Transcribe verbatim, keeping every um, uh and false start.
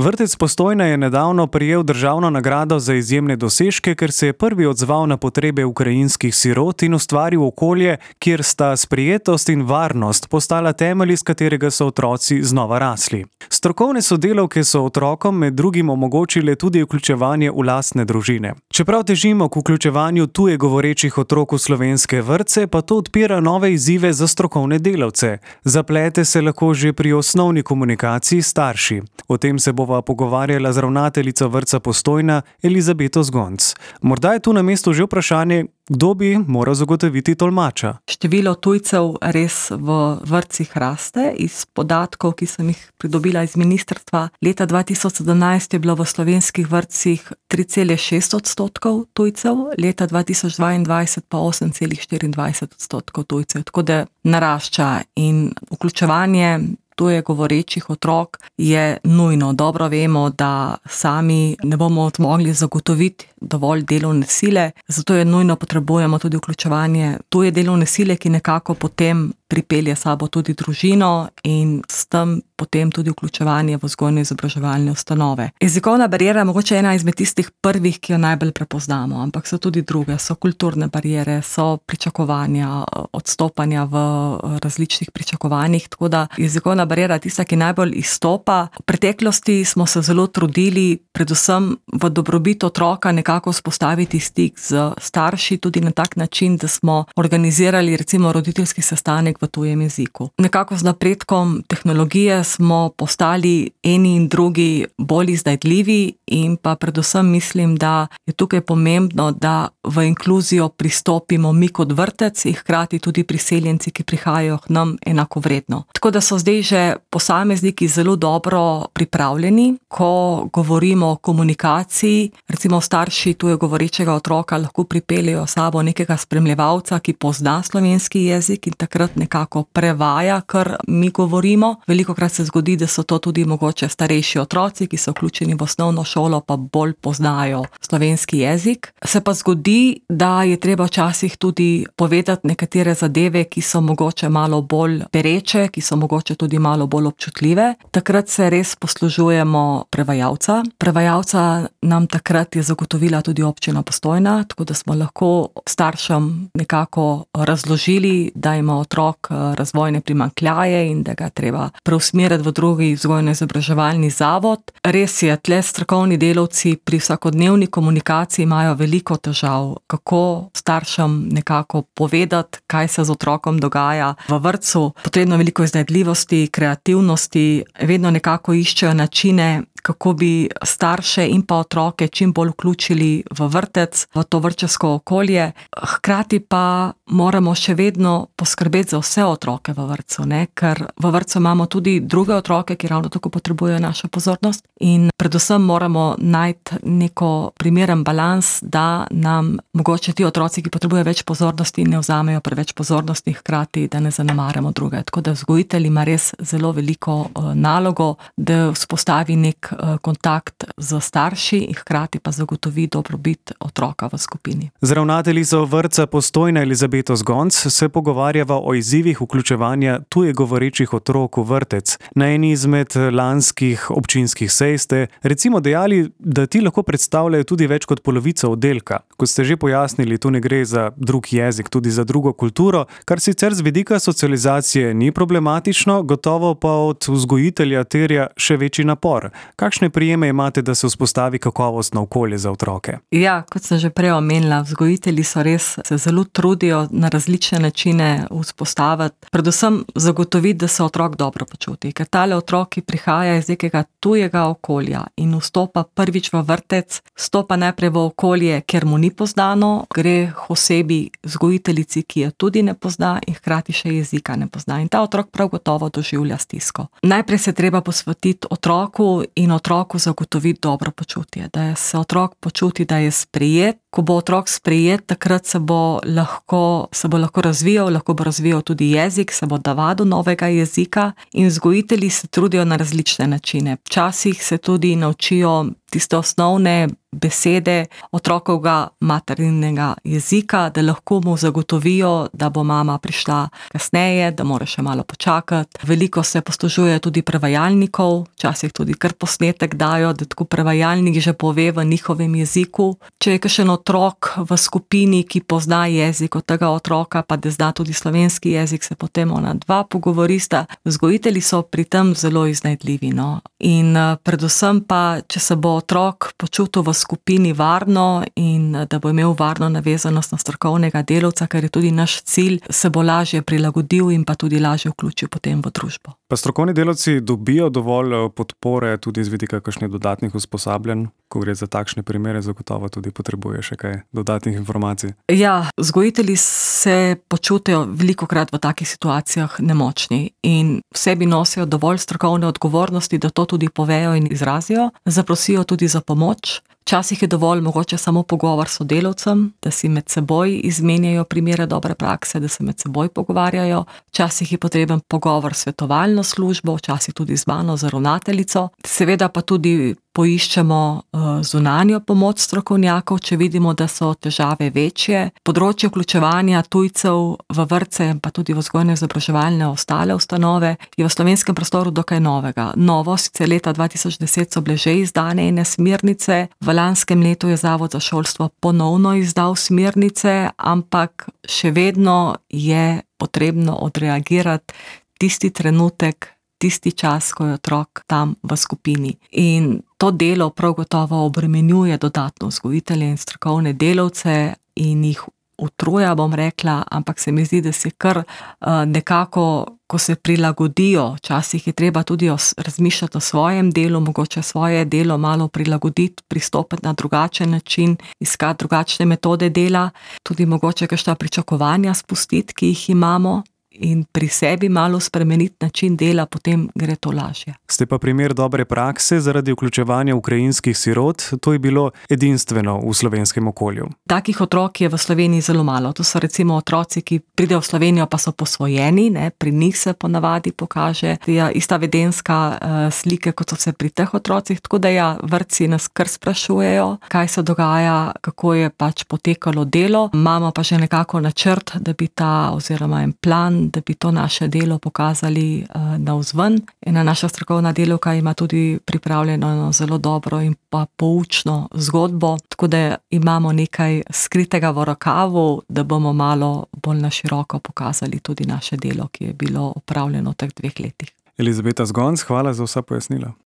Vrtec Postojna je nedavno prejel državno nagrado za izjemne dosežke, ker se je prvi odzval na potrebe ukrajinskih sirot in ustvaril okolje, kjer sta sprijetost in varnost postala temelj, iz katerega so otroci znova rasli. Strokovne sodelavke so otrokom med drugim omogočile tudi vključevanje v lastne družine. Čeprav težimo k vključevanju tuje govorečih otrok v slovenske vrtce, pa to odpira nove izzive za strokovne delavce. Zaplete se lahko že pri osnovni komunikaciji s starši. O tem se bova pogovarjala z ravnateljico vrtca Postojna Elizabeto Zgonc. Morda je tu na mestu že vprašanje, kdo bi moral zagotoviti tolmača. Število tujcev res v vrtcih raste. Iz podatkov, ki sem jih pridobila iz ministrstva, leta dva tisoč sedemnajst je bilo v slovenskih vrtcih tri cele šest odstotkov tujcev, leta dva tisoč dvaindvajset pa osem cele štiriindvajset odstotkov tujcev. Tako da narašča in vključevanje tuje govorečih otrok je nujno. Dobro vemo, da sami ne bomo mogli zagotoviti dovolj delovne sile, zato je nujno potrebujemo tudi vključevanje tuje delovne sile, ki nekako potem pripelje sabo tudi družino in s tem potem tudi vključevanje v vzgojno-izobraževalne ustanove. Jezikovna bariera je mogoče ena izmed tistih prvih, ki jo najbolj prepoznamo, ampak so tudi druge, so kulturne bariere, so pričakovanja, odstopanja v različnih pričakovanjih, tako da jezikovna bariera je tista, ki najbolj izstopa. V preteklosti smo se zelo trudili, predvsem v dobrobit otroka, nekako vzpostaviti stik z starši, tudi na tak način, da smo organizirali recimo roditeljski sestanek v tujem jeziku. Nekako z napredkom tehnologije smo postali eni in drugi bolj iznajdljivi in pa predvsem mislim, da je tukaj pomembno, da v inkluzijo pristopimo mi kot vrtec in hkrati tudi priseljenci, ki prihajajo k nam enakovredno. Tako da so zdaj že posamezniki zelo dobro pripravljeni, ko govorimo o komunikaciji, recimo starši tuje govorečega otroka lahko pripeljejo sabo nekega spremljevalca, ki pozna slovenski jezik in takrat nekako prevaja, kar mi govorimo. Velikokrat se zgodi, da so to tudi mogoče starejši otroci, ki so vključeni v osnovno šolo, pa bolj poznajo slovenski jezik. Se pa zgodi, da je treba včasih tudi povedati nekatere zadeve, ki so mogoče malo bolj pereče, ki so mogoče tudi malo bolj občutljive. Takrat se res poslužujemo prevajalca. Prevajalca nam takrat je zagotovila tudi občina Postojna, tako da smo lahko staršem nekako razložili, da ima otrok razvojne primanjkljaje in da ga treba preusmeriti v drugi vzgojno-izobraževalni zavod. Res je, tle strokovni delavci pri vsakodnevni komunikaciji imajo veliko težav, kako staršem nekako povedati, kaj se z otrokom dogaja v vrtcu. Potrebno veliko iznajdljivosti, kreativnosti, vedno nekako iščejo načine, kako bi starše in pa otroke čim bolj vključili v vrtec, v to vrtčevsko okolje. Hkrati pa moramo še vedno poskrbeti za vse otroke v vrtcu, ne? Ker v vrtcu imamo tudi druge otroke, ki ravno tako potrebujejo našo pozornost in predvsem moramo najti neko primeren balans, da nam mogoče ti otroci, ki potrebujejo več pozornosti, ne vzamejo preveč pozornosti, hkrati, da ne zanemarjamo druge. Tako da vzgojitelj ima res zelo veliko uh, nalogo, da vzpostavi nek kontakt z starši in hkrati pa zagotovi dobrobit otroka v skupini. Z ravnateljico vrtca Postojna Elizabeto Zgonc se pogovarjava o izzivih vključevanja tuje govorečih otrok v vrtec. Na eni izmed lanskih občinskih sej ste recimo dejali, da ti lahko predstavljajo tudi več kot polovico oddelka. Kot ste že pojasnili, tu ne gre za drug jezik, tudi za drugo kulturo, kar sicer z vidika socializacije ni problematično, gotovo pa od vzgojitelja terja še večji napor. Kakšne prijeme imate, da se vzpostavi kakovostno okolje za otroke? Ja, kot sem že prej omenila, vzgojitelji so res se zelo trudijo na različne načine vzpostaviti, predvsem zagotoviti, da se otrok dobro počuti, ker tale otrok, ki prihaja iz nekega tujega okolja in vstopa prvič v vrtec, vstopa najprej v okolje, kjer mu ni poznano, gre k osebi vzgojiteljici, ki je tudi ne pozna in hkrati še jezika ne pozna. In ta otrok prav gotovo doživlja stisko. Najprej se treba posvetiti otroku in otroku zagotoviti dobro počutje, da se otrok počuti, da je sprejet. Ko bo otrok sprejet, takrat se bo lahko, se bo lahko razvijal, lahko bo razvijal tudi jezik, se bo navadil novega jezika in vzgojitelji se trudijo na različne načine. Včasih se tudi naučijo tiste osnovne besede otrokovega materinega jezika, da lahko mu zagotovijo, da bo mama prišla kasneje, da mora še malo počakati. Veliko se poslužuje tudi prevajalnikov, včasih tudi kar posnetek dajo, da tako prevajalnik že pove v njihovem jeziku. Če je kakšen otrok v skupini, ki pozna jezik od tega otroka, pa da zna tudi slovenski jezik, se potem ona dva pogovorista. Vzgojitelji so pri tem zelo iznajdljivi, no. In predvsem pa, če se bo otrok počutil v skupini varno in da bo imel varno navezanost na strokovnega delavca, ker je tudi naš cilj, se bo lažje prilagodil in pa tudi lažje vključil potem v družbo. Pa strokovni delavci dobijo dovolj podpore tudi z vidika kakšnih dodatnih usposabljanj, ko gre za takšne primere, zagotovo tudi potrebuje še kaj dodatnih informacij? Ja, vzgojitelji se počutijo velikokrat v takih situacijah nemočni in v sebi nosijo dovolj strokovne odgovornosti, da to tudi povejo in izrazijo, zaprosijo tudi za pomoč. Včasih je dovolj mogoče samo pogovor s sodelavcem, da si med seboj izmenjajo primere dobre prakse, da se med seboj pogovarjajo. Včasih je potreben pogovor s svetovalno službo, včasih tudi z mano, z ravnateljico. Seveda pa tudi poiščemo zunanjo pomoč strokovnjakov, če vidimo, da so težave večje. Področje vključevanja tujcev v vrtce, pa tudi v vzgojno-izobraževalne ostale ustanove, je v slovenskem prostoru dokaj novega. Novo, sicer leta dva tisoč deset so bile že izdane ene smernice, v lanskem letu je Zavod za šolstvo ponovno izdal smernice, ampak še vedno je potrebno odreagirati tisti trenutek, tisti čas, ko je otrok tam v skupini. In to delo prav gotovo obremenjuje dodatno vzgojitelje in strokovne delavce in jih utruja, bom rekla, ampak se mi zdi, da se kar nekako, ko se prilagodijo, včasih je treba tudi razmišljati o svojem delu, mogoče svoje delo malo prilagoditi, pristopiti na drugačen način, iskati drugačne metode dela, tudi mogoče kakšna pričakovanja spustiti, ki jih imamo, in pri sebi malo spremeniti način dela, potem gre to lažje. Ste pa primer dobre prakse zaradi vključevanja ukrajinskih sirot, to je bilo edinstveno v slovenskem okolju. Takih otrok je v Sloveniji zelo malo. To so recimo otroci, ki pridejo v Slovenijo, pa so posvojeni, ne? Pri njih se ponavadi pokaže ja, ista vedenska uh, slike, kot so se pri teh otrocih, tako da ja, vrtci nas kar sprašujejo, kaj se dogaja, kako je pač potekalo delo. Imamo pa že nekako načrt, da bi ta, oziroma en plan, da bi to naše delo pokazali uh, navzven. Ena naša strokovna delavka ima tudi pripravljeno zelo dobro in pa poučno zgodbo, tako da imamo nekaj skritega v rokavu, da bomo malo bolj na široko pokazali tudi naše delo, ki je bilo opravljeno v teh dveh letih. Elizabeta Zgonc, hvala za vsa pojasnila.